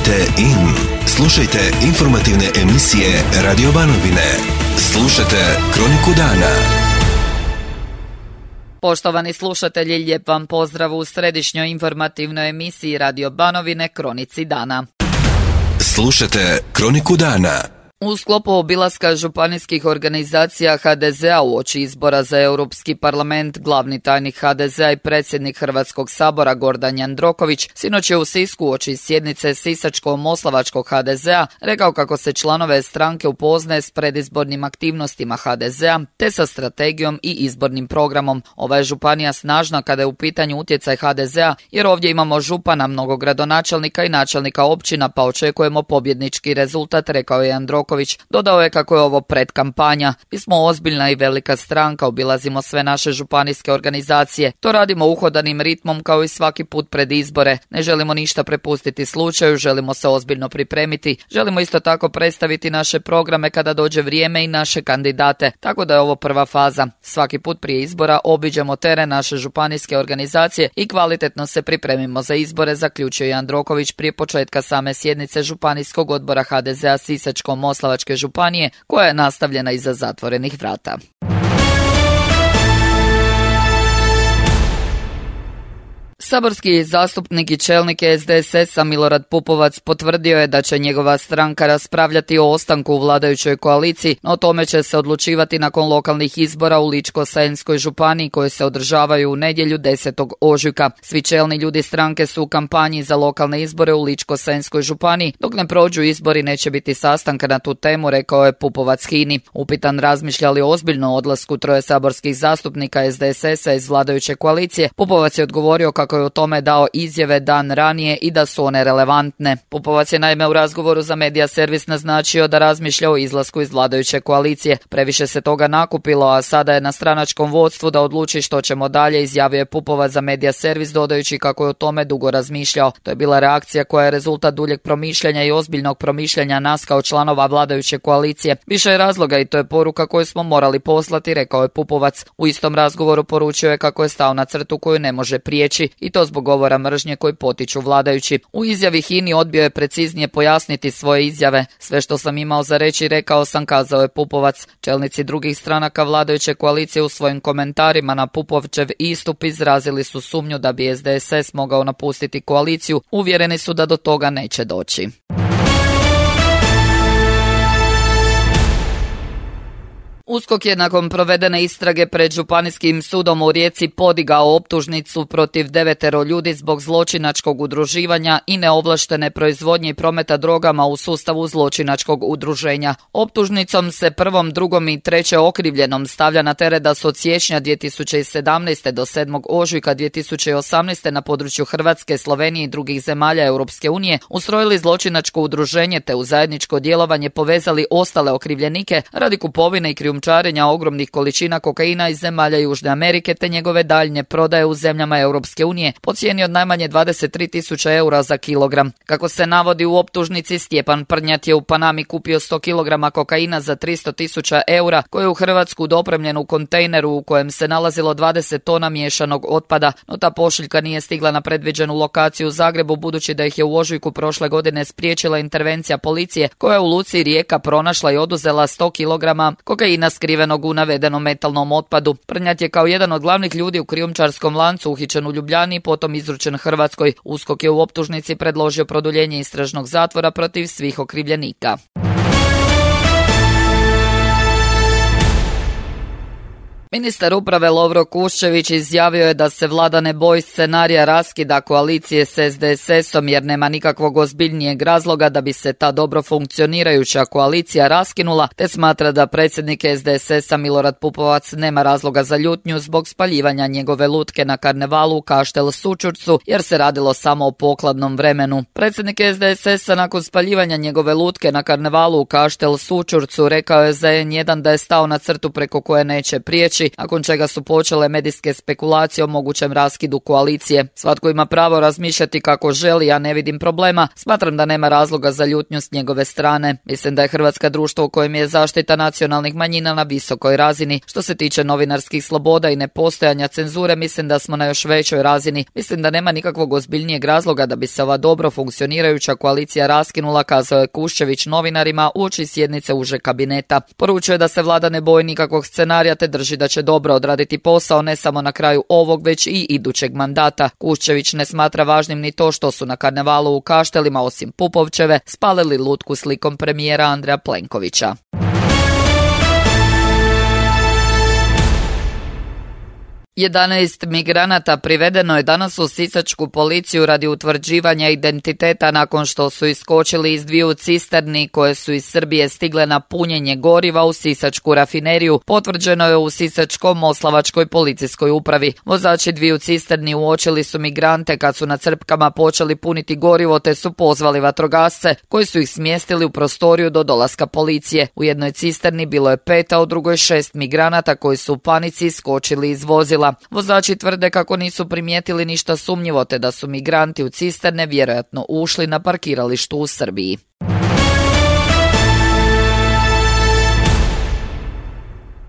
Tunite in. Slušajte informativne emisije Radio Banovine. Slušajte Kroniku dana. Poštovani slušatelji, lijep vam pozdrav u središnjoj informativnoj emisiji Radio Banovine Kronici dana. Slušajte Kroniku dana. U sklopu obilaska županijskih organizacija HDZ-a uoči izbora za Europski parlament, glavni tajnik HDZ-a i predsjednik Hrvatskog sabora Gordan Jandroković sinoć je u Sisku uoči sjednice Sisačko-moslavačkog HDZ-a rekao kako se članove stranke upoznaje s predizbornim aktivnostima HDZ-a te sa strategijom i izbornim programom. Ova je županija snažna kada je u pitanju utjecaj HDZ-a jer ovdje imamo župana, mnogo gradonačelnika i načelnika općina pa očekujemo pobjednički rezultat, rekao je Jandroković. Dodao je kako je ovo predkampanja. Mi smo ozbiljna i velika stranka, obilazimo sve naše županijske organizacije. To radimo uhodanim ritmom kao i svaki put pred izbore. Ne želimo ništa prepustiti slučaju, želimo se ozbiljno pripremiti. Želimo isto tako predstaviti naše programe kada dođe vrijeme i naše kandidate. Tako da je ovo prva faza. Svaki put prije izbora obiđemo teren naše županijske organizacije i kvalitetno se pripremimo za izbore, zaključio je Jandroković prije početka same sjednice Županijskog odbora HDZ-a Sisačko-moslavačke županije, koja je nastavljena iza zatvorenih vrata. Saborski zastupnik i čelnik SDSS-a Milorad Pupovac potvrdio je da će njegova stranka raspravljati o ostanku u vladajućoj koaliciji, no o tome će se odlučivati nakon lokalnih izbora u Ličko-senjskoj županiji koje se održavaju u nedjelju 10. ožujka. Svi čelni ljudi stranke su u kampanji za lokalne izbore u Ličko-senjskoj županiji. Dok ne prođu izbori neće biti sastanka na tu temu, rekao je Pupovac HINA-i. Upitan razmišlja li ozbiljno o odlasku troje saborskih zastupnika SDSS-a iz vladajuće koalicije, Pupovac je odgovorio kako je o tome dao izjave dan ranije i da su one relevantne. Pupovac je naime u razgovoru za Medija Servis naznačio da razmišlja o izlasku iz vladajuće koalicije. Previše se toga nakupilo, a sada je na stranačkom vodstvu da odluči što ćemo dalje, izjavio je Pupovac za Medija Servis dodajući kako je o tome dugo razmišljao. To je bila reakcija koja je rezultat duljeg promišljanja i ozbiljnog promišljanja nas kao članova vladajuće koalicije. Više je razloga i to je poruka koju smo morali poslati, rekao je Pupovac. U istom razgovoru poručio je kako je stao na crtu koju ne može prijeći i to zbog govora mržnje koji potiču vladajući. U izjavi HINA-i odbio je preciznije pojasniti svoje izjave. Sve što sam imao za reći rekao sam, kazao je Pupovac. Čelnici drugih stranaka vladajuće koalicije u svojim komentarima na Pupovčev istup izrazili su sumnju da bi SDSS mogao napustiti koaliciju. Uvjereni su da do toga neće doći. USKOK je nakon provedene istrage pred Županijskim sudom u Rijeci podigao optužnicu protiv 9 ljudi zbog zločinačkog udruživanja i neovlaštene proizvodnje i prometa drogama u sustavu zločinačkog udruženja. Optužnicom se prvom, drugom i trećem okrivljenom stavlja na teret da su od siječnja 2017. do 7. ožujka 2018. na području Hrvatske, Slovenije i drugih zemalja Europske unije ustrojili zločinačko udruženje te u zajedničko djelovanje povezali ostale okrivljenike radi kupovine i krijumčarenja ogromnih količina kokaina iz zemalja Južne Amerike te njegove daljnje prodaje u zemljama Europske unije po cijeni od najmanje 23.000 eura za kilogram. Kako se navodi u optužnici, Stjepan Prnjat je u Panami kupio 100 kg kokaina za 300.000 eura koje je u Hrvatsku dopremljen u kontejneru u kojem se nalazilo 20 tona miješanog otpada, no ta pošiljka nije stigla na predviđenu lokaciju u Zagrebu budući da ih je u ožujku prošle godine spriječila intervencija policije koja je u luci Rijeka pronašla i oduzela 100 kg kokaina skrivenog u navedenom metalnom otpadu. Prnjat je kao jedan od glavnih ljudi u krijumčarskom lancu uhićen u Ljubljani i potom izručen Hrvatskoj. USKOK je u optužnici predložio produljenje istražnog zatvora protiv svih okrivljenika. Ministar uprave Lovro Kuščević izjavio je da se vlada ne boji scenarija raskida koalicije s SDSS-om jer nema nikakvog ozbiljnijeg razloga da bi se ta dobro funkcionirajuća koalicija raskinula, te smatra da predsjednik SDSS-a Milorad Pupovac nema razloga za ljutnju zbog spaljivanja njegove lutke na karnevalu u Kaštel Sućurcu jer se radilo samo o pokladnom vremenu. Predsjednik SDSS-a nakon spaljivanja njegove lutke na karnevalu u Kaštel Sućurcu rekao je za N1 da je stao na crtu preko koje neće prijeći noći, nakon čega su počele medijske spekulacije o mogućem raskidu koalicije. Svatko ima pravo razmišljati kako želi, ja ne vidim problema. Smatram da nema razloga za ljutnju s njegove strane. Mislim da je Hrvatska društvo u kojem je zaštita nacionalnih manjina na visokoj razini. Što se tiče novinarskih sloboda i nepostojanja cenzure, mislim da smo na još većoj razini. Mislim da nema nikakvog ozbiljnijeg razloga da bi se ova dobro funkcionirajuća koalicija raskinula, kazao je Kuščević novinarima uoči sjednice užeg kabineta. Poručuje da se vlada ne boji nikakvog scenarija te drži da će dobro odraditi posao ne samo na kraju ovog, već i idućeg mandata. Kuščević ne smatra važnim ni to što su na karnevalu u Kaštelima, osim Pupovčeve, spalili lutku slikom premijera Andreja Plenkovića. 11 migranata privedeno je danas u sisačku policiju radi utvrđivanja identiteta nakon što su iskočili iz dviju cisterni koje su iz Srbije stigle na punjenje goriva u sisačku rafineriju, potvrđeno je u Sisačko-moslavačkoj policijskoj upravi. Vozači dviju cisterni uočili su migrante kad su na crpkama počeli puniti gorivo te su pozvali vatrogasce koji su ih smjestili u prostoriju do dolaska policije. U jednoj cisterni bilo je 5, a u drugoj 6 migranata koji su u panici iskočili iz vozila. Vozači tvrde kako nisu primijetili ništa sumnjivo te da su migranti u cisterne vjerojatno ušli na parkiralištu u Srbiji.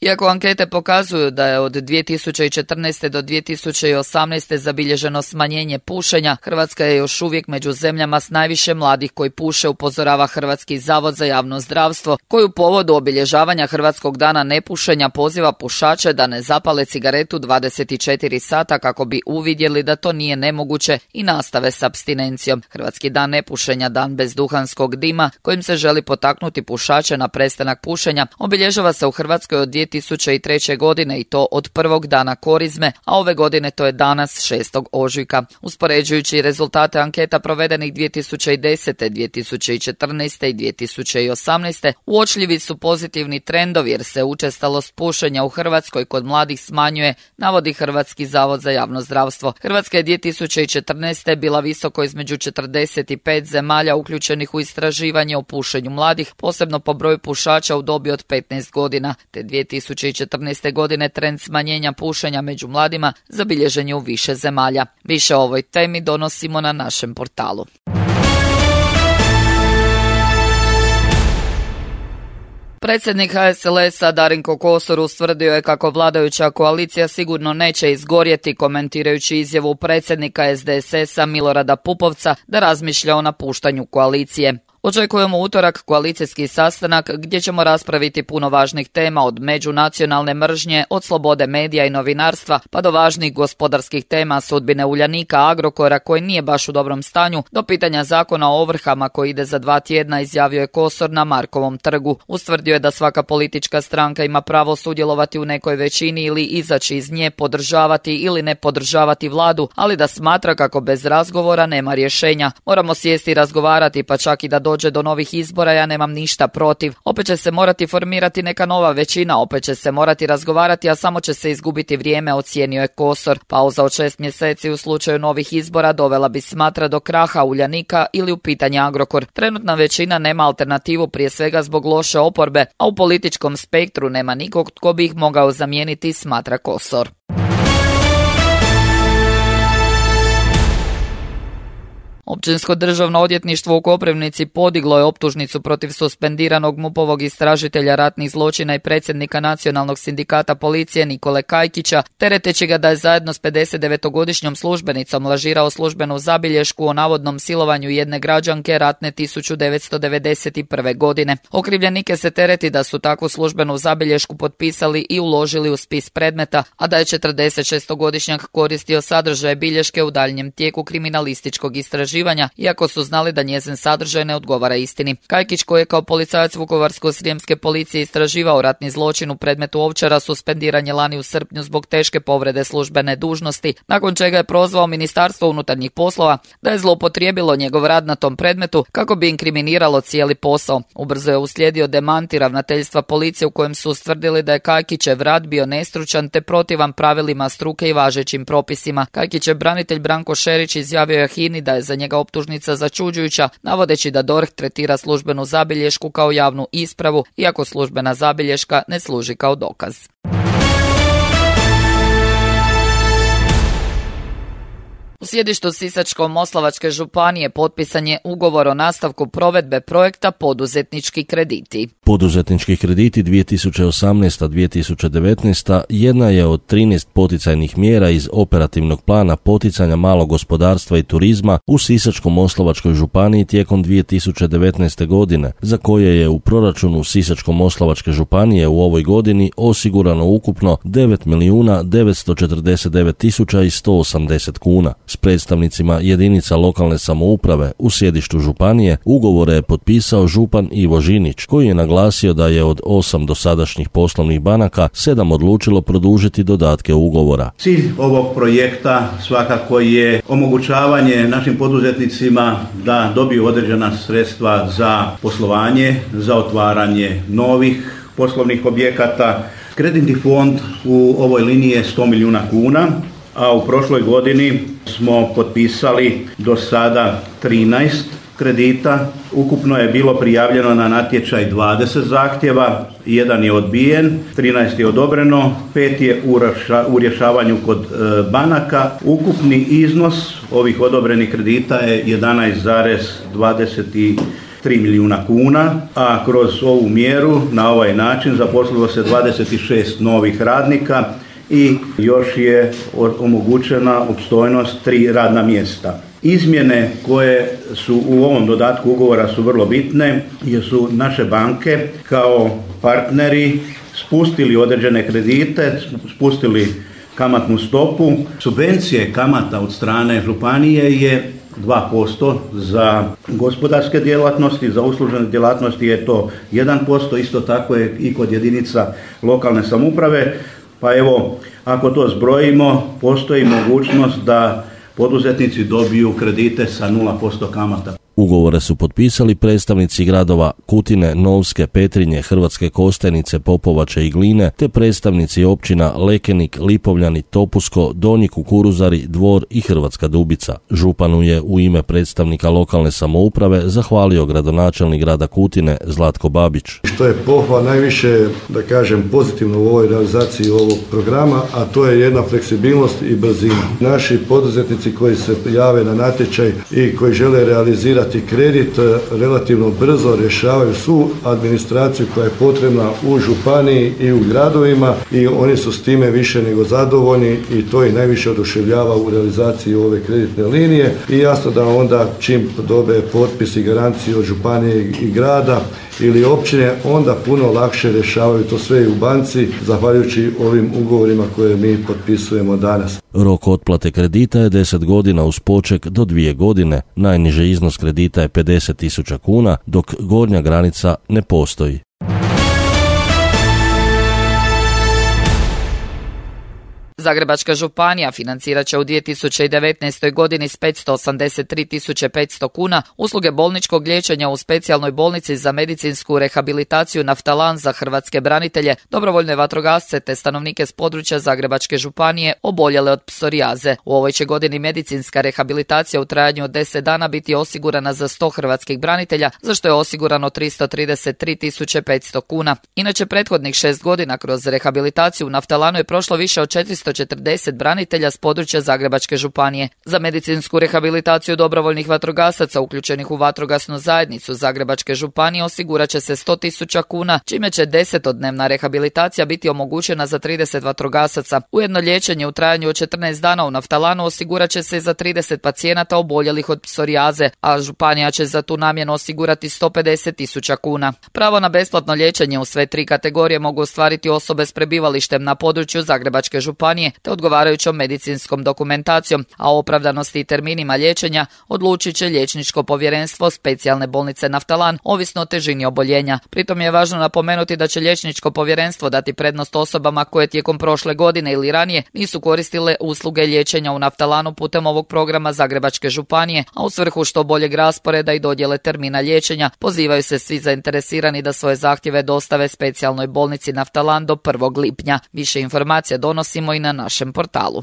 Iako ankete pokazuju da je od 2014. do 2018. zabilježeno smanjenje pušenja, Hrvatska je još uvijek među zemljama s najviše mladih koji puše, upozorava Hrvatski zavod za javno zdravstvo, koji u povodu obilježavanja Hrvatskog dana nepušenja poziva pušače da ne zapale cigaretu 24 sata kako bi uvidjeli da to nije nemoguće i nastave s apstinencijom. Hrvatski dan nepušenja, dan bez duhanskog dima, kojim se želi potaknuti pušače na prestanak pušenja, obilježava se u Hrvatskoj od 2003. godine i to od prvog dana korizme, a ove godine to je danas 6. ožujka. Uspoređujući rezultate anketa provedenih 2010., 2014. i 2018. uočljivi su pozitivni trendovi jer se učestalost pušenja u Hrvatskoj kod mladih smanjuje, navodi Hrvatski zavod za javno zdravstvo. Hrvatska je 2014. bila visoko između 45 zemalja uključenih u istraživanje o pušenju mladih, posebno po broju pušača u dobi od 15 godina, te 2014. godine trend smanjenja pušenja među mladima zabilježen je u više zemalja. Više o ovoj temi donosimo na našem portalu. Predsjednik HSLS-a Darinko Kosor ustvrdio je kako vladajuća koalicija sigurno neće izgorjeti, komentirajući izjavu predsjednika SDSS-a Milorada Pupovca da razmišlja o napuštanju koalicije. Očekujemo utorak koalicijski sastanak gdje ćemo raspraviti puno važnih tema, od međunacionalne mržnje, od slobode medija i novinarstva, pa do važnih gospodarskih tema, sudbine Uljanika, Agrokora koji nije baš u dobrom stanju, do pitanja zakona o ovrhama koji ide za 2 tjedna, izjavio je Kosor na Markovom trgu. Ustvrdio je da svaka politička stranka ima pravo sudjelovati u nekoj većini ili izaći iz nje, podržavati ili ne podržavati vladu, ali da smatra kako bez razgovora nema rješenja. Moramo sjesti i razgovarati, pa čak i da dođe do novih izbora, ja nemam ništa protiv. Opet će se morati formirati neka nova većina, opet će se morati razgovarati, a samo će se izgubiti vrijeme, ocijenio je Kosor. Pauza od 6 mjeseci u slučaju novih izbora dovela bi, smatra, do kraha Uljanika ili u pitanje Agrokor. Trenutna većina nema alternativu, prije svega zbog loše oporbe, a u političkom spektru nema nikog tko bi ih mogao zamijeniti, smatra Kosor. Općinsko državno odvjetništvo u Koprivnici podiglo je optužnicu protiv suspendiranog MUP-ovog istražitelja ratnih zločina i predsjednika Nacionalnog sindikata policije Nikole Kajkića, tereteći ga da je zajedno s 59-godišnjom službenicom lažirao službenu zabilješku o navodnom silovanju jedne građanke ratne 1991. godine. Okrivljenike se tereti da su takvu službenu zabilješku potpisali i uložili u spis predmeta, a da je 46-godišnjak koristio sadržaje bilješke u daljnjem tijeku kriminalističkog istraživanja, iako su znali da njezin sadržaj ne odgovara istini. Kajkić, koji je kao policajac Vukovarsko-srijemske policije istraživao ratni zločin u predmetu Ovčara, suspendiran je lani u srpnju zbog teške povrede službene dužnosti, nakon čega je prozvao Ministarstvo unutarnjih poslova da je zloupotrijebilo njegov rad na tom predmetu kako bi inkriminiralo cijeli posao. Ubrzo je uslijedio demanti ravnateljstva policije u kojem su ustvrdili da je Kajkićev rad bio nestručan te protivan pravilima struke i važećim propisima. Kajkićev branitelj Branko Šerić izjavio je HINA-i da je za njega optužnica začuđujuća, navodeći da DORH tretira službenu zabilješku kao javnu ispravu, iako službena zabilješka ne služi kao dokaz. U sjedištu Sisačko-moslavačke županije potpisan je ugovor o nastavku provedbe projekta Poduzetnički krediti. Poduzetnički krediti 2018-2019 jedna je od 13 poticajnih mjera iz operativnog plana poticanja malog gospodarstva i turizma u Sisačko-moslavačkoj županiji tijekom 2019. godine, za koje je u proračunu Sisačko-moslavačke županije u ovoj godini osigurano ukupno 9.949.180 kuna. S predstavnicima jedinica lokalne samouprave u sjedištu županije ugovore je potpisao župan Ivo Žinić, koji je naglasio da je od 8 dosadašnjih poslovnih banaka 7 odlučilo produžiti dodatke ugovora. Cilj ovog projekta svakako je omogućavanje našim poduzetnicima da dobiju određena sredstva za poslovanje, za otvaranje novih poslovnih objekata. Kreditni fond u ovoj liniji je 100 milijuna kuna, a u prošloj godini smo potpisali do sada 13 kredita. Ukupno je bilo prijavljeno na natječaj 20 zahtjeva, 1 je odbijen, 13 je odobreno, 5 je u rješavanju kod banaka. Ukupni iznos ovih odobrenih kredita je 11,23 milijuna kuna, a kroz ovu mjeru na ovaj način zaposlilo se 26 novih radnika i još je omogućena opstojnost 3 radna mjesta. Izmjene koje su u ovom dodatku ugovora su vrlo bitne jer su naše banke kao partneri spustili određene kredite, spustili kamatnu stopu. Subvencije kamata od strane županije je 2%, za gospodarske djelatnosti, za uslužene djelatnosti je to 1%, isto tako je i kod jedinica lokalne samouprave. Pa evo, ako to zbrojimo, postoji mogućnost da poduzetnici dobiju kredite sa 0% kamata. Ugovore su potpisali predstavnici gradova Kutine, Novske, Petrinje, Hrvatske Kostajnice, Popovače i Gline, te predstavnici općina Lekenik, Lipovljani, Topusko, Donji Kukuruzari, Dvor i Hrvatska Dubica. Županu je u ime predstavnika lokalne samouprave zahvalio gradonačelnik grada Kutine Zlatko Babić. Što je pohvala najviše, da kažem, pozitivno u ovoj realizaciji ovog programa, a to je jedna fleksibilnost i brzina. Naši poduzetnici koji se jave na natječaj i koji žele realizirati kredit relativno brzo rješavaju svu administraciju koja je potrebna u županiji i u gradovima i oni su s time više nego zadovoljni i to ih najviše oduševljava u realizaciji ove kreditne linije i jasno da onda čim dobe potpis i garanciju od županije i grada ili općine, onda puno lakše rješavaju to sve i u banci, zahvaljujući ovim ugovorima koje mi potpisujemo danas. Rok otplate kredita je 10 godina uz poček do 2 godine. Najniži iznos kredita je 50.000 kuna, dok gornja granica ne postoji. Zagrebačka županija financirat će u 2019. godini s 583.500 kuna usluge bolničkog liječenja u specijalnoj bolnici za medicinsku rehabilitaciju Naftalan za hrvatske branitelje, dobrovoljne vatrogasce te stanovnike s područja Zagrebačke županije oboljele od psorijaze. U ovoj će godini medicinska rehabilitacija u trajanju od 10 dana biti osigurana za 100 hrvatskih branitelja, za što je osigurano 333.500 kuna. Inače, prethodnih 6 godina kroz rehabilitaciju u Naftalanu je prošlo više od 440 branitelja s područja Zagrebačke županije. Za medicinsku rehabilitaciju dobrovoljnih vatrogasaca uključenih u vatrogasnu zajednicu Zagrebačke županije osigurat će se 100.000 kuna, čime će 10-dnevna rehabilitacija biti omogućena za 30 vatrogasaca. Ujedno liječenje u trajanju od 14 dana u Naftalanu osigurat će se za 30 pacijenata oboljelih od psorijaze, a županija će za tu namjenu osigurati 150.000 kuna. Pravo na besplatno liječenje u sve 3 kategorije mogu ostvariti osobe s prebivalištem na području Zagrebačke županije te odgovarajućom medicinskom dokumentacijom, a o opravdanosti i terminima liječenja odlučit će liječničko povjerenstvo specijalne bolnice Naftalan, ovisno o težini oboljenja. Pritom je važno napomenuti da će liječničko povjerenstvo dati prednost osobama koje tijekom prošle godine ili ranije nisu koristile usluge liječenja u Naftalanu putem ovog programa Zagrebačke županije, a u svrhu što boljeg rasporeda i dodjele termina liječenja pozivaju se svi zainteresirani da svoje zahtjeve dostave specijalnoj bolnici Naftalan do 1. lipnja. Više informacija donosimo i na našem portalu.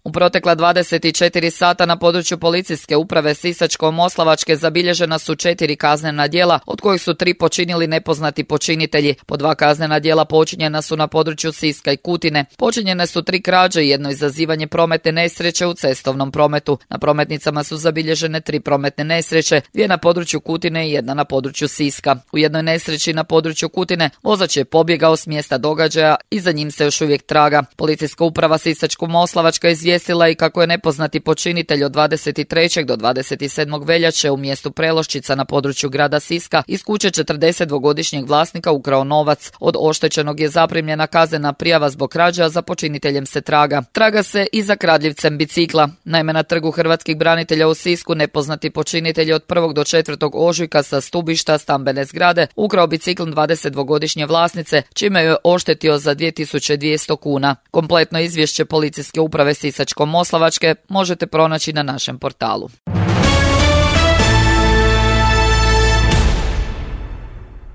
U U protekla 24 sata na području policijske uprave Sisačko-moslavačke zabilježena su 4 kaznena djela, od kojih su 3 počinili nepoznati počinitelji. Po 2 kaznena djela počinjena su na području Siska i Kutine. Počinjene su 3 krađe i jedno izazivanje prometne nesreće u cestovnom prometu. Na prometnicama su zabilježene 3 prometne nesreće, 2 na području Kutine i 1 na području Siska. U jednoj nesreći na području Kutine vozač je pobjegao s mjesta događaja i za njim se još uvijek traga. Policijska uprava Sisačko-moslavačka izvijestila i kako je nepoznati počinitelj od 23. do 27. veljače u mjestu Preloščica na području grada Siska iz kuće 42-godišnjeg vlasnika ukrao novac. Od oštećenog je zaprimljena kaznena prijava zbog krađe, a za počiniteljem se traga. Traga se i za kradljivcem bicikla. Naime, na trgu hrvatskih branitelja u Sisku nepoznati počinitelj od 1. do 4. ožujka sa stubišta stambene zgrade ukrao bicikl 22-godišnje vlasnice, čime je oštetio za 2200 kuna. Kompletno izvješće policijske uprave Sisačko-moslavačke možete pronaći na našem portalu.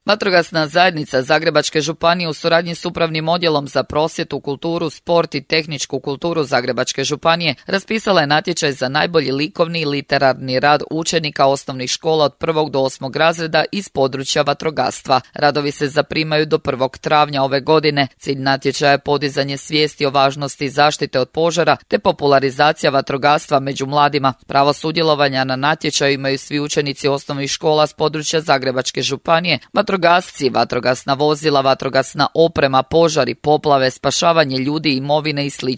Vatrogasna zajednica Zagrebačke županije u suradnji s Upravnim odjelom za prosvjetu, kulturu, sport i tehničku kulturu Zagrebačke županije raspisala je natječaj za najbolji likovni i literarni rad učenika osnovnih škola od 1. do 8. razreda iz područja vatrogastva. Radovi se zaprimaju do 1. travnja ove godine. Cilj natječaja je podizanje svijesti o važnosti zaštite od požara te popularizacija vatrogastva među mladima. Pravo sudjelovanja na natječaju imaju svi učenici osnovnih škola s područja Zagrebačke županije, vatrogasci, vatrogasna vozila, vatrogasna oprema, požari, poplave, spašavanje ljudi, imovine i sl.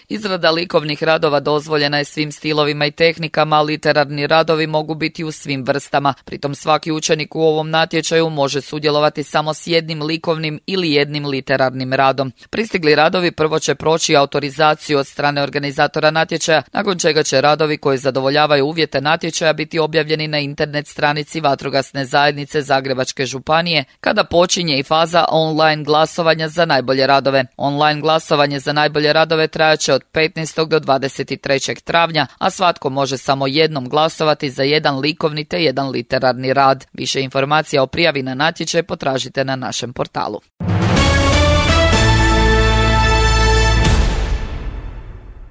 Izrada likovnih radova dozvoljena je svim stilovima i tehnikama, a literarni radovi mogu biti u svim vrstama. Pritom svaki učenik u ovom natječaju može sudjelovati samo s jednim likovnim ili jednim literarnim radom. Pristigli radovi prvo će proći autorizaciju od strane organizatora natječaja, nakon čega će radovi koji zadovoljavaju uvjete natječaja biti objavljeni na internet stranici Vatrogasne zajednice Zagrebačke županije, kada počinje i faza online glasovanja za najbolje radove. Online glasovanje za najbolje radove trajaće od 15. do 23. travnja, a svatko može samo jednom glasovati za jedan likovni te jedan literarni rad. Više informacija o prijavi na natječaj potražite na našem portalu.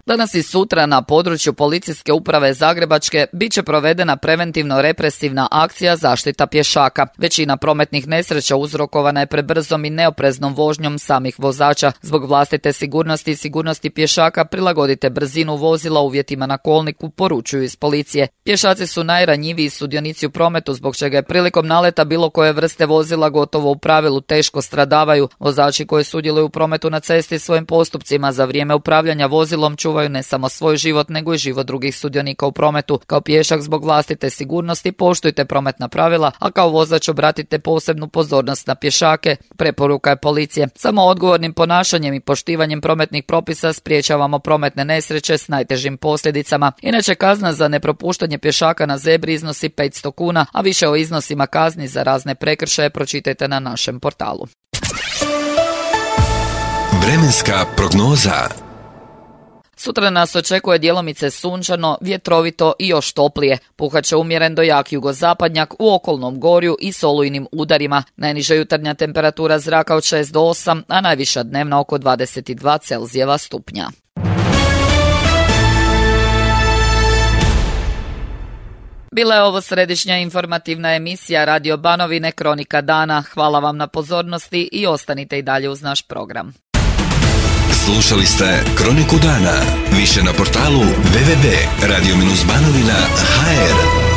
Danas i sutra na području policijske uprave Zagrebačke bit će provedena preventivno-represivna akcija zaštita pješaka. Većina prometnih nesreća uzrokovana je prebrzom i neopreznom vožnjom samih vozača. Zbog vlastite sigurnosti i sigurnosti pješaka prilagodite brzinu vozila uvjetima na kolniku, poručuju iz policije. Pješaci su najranjiviji sudionici u prometu, zbog čega je prilikom naleta bilo koje vrste vozila gotovo u pravilu teško stradavaju. Vozači koji sudjeluju u prometu na cesti svojim postupcima za vrijeme upravljanja vozilom čuvaju ne samo svoj život, nego i život drugih sudionika u prometu. Kao pješak zbog vlastite sigurnosti poštujte prometna pravila, a kao vozač obratite posebnu pozornost na pješake, preporuka je policije. Samo odgovornim ponašanjem i poštivanjem prometnih propisa spriječavamo prometne nesreće s najtežim posljedicama. Inače, kazna za nepropuštanje pješaka na zebri iznosi 500 kuna, a više o iznosima kazni za razne prekršaje pročitajte na našem portalu. Vremenska prognoza. Sutra nas očekuje djelomice sunčano, vjetrovito i još toplije. Puhat će umjeren do jak jugozapadnjak u okolnom gorju i s olujnim udarima. Najniža jutarnja temperatura zraka od 6 do 8, a najviša dnevna oko 22 Celzijeva stupnja. Bila je ovo središnja informativna emisija Radio Banovine Kronika dana. Hvala vam na pozornosti i ostanite i dalje uz naš program. Slušali ste Kroniku dana. Više na portalu www.radio-banovina.hr.